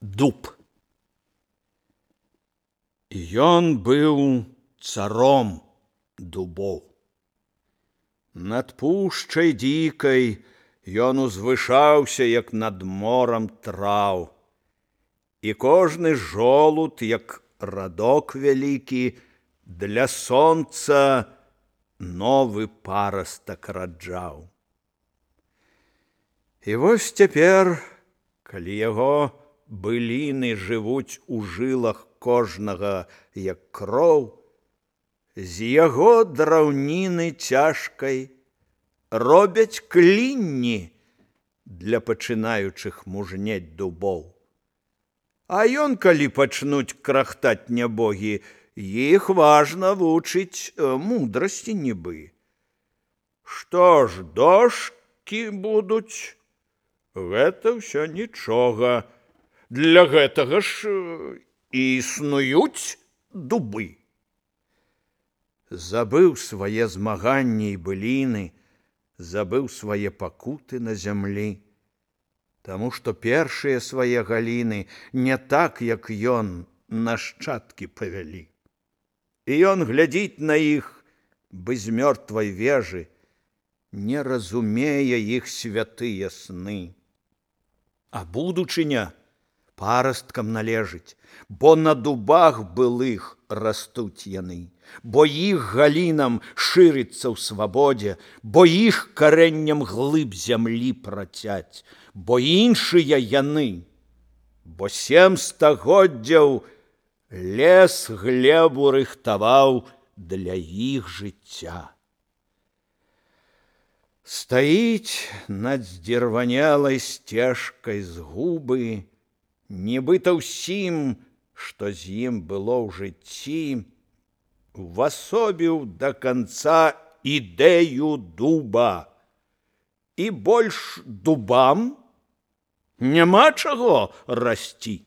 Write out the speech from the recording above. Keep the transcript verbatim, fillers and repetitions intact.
Дуб. Ён быў царом дубоў. Над пушчай дзікай ён узвышаўся, як над морам траў. І кожны жолуд, як радок вялікі, для сонца новы парастак раджаў. І вось цяпер, калі яго быліны жывуць у жылах кожнага, як кроў, з яго драўніны цяжкай робяць клінні для пачынаючых мужнець дубоў. А ён, калі пачнуць крахтаць нябогі, іх важна вучыць мудрасці нібы. Што ж, дошкі будуць? Гэта ўсё нічога. Для гэтага ж і існуюць дубы. Забыў свае змаганні і быліны, забыў свае пакуты на зямлі, таму што першыя свае галіны не так, як ён, нашчадкі павялі. І ён глядзіць на іх, бы з мёртвай вежы, не разумее іх святыя сны. А будучыня парасткам належыць, бо на дубах былых растуць яны, бо іх галінам шырыцца ў свабодзе, бо іх карэнням глыб зямлі працяць, бо іншыя яны, бо сем стагоддзяў лес глебу рыхтаваў для іх жыцця. Стаіць над здзірванелай сцежкай згубы, нібыта ўсім, што з ім было ў жыцці, увасобіў да канца ідэю дуба. І больш дубам няма чаго расці.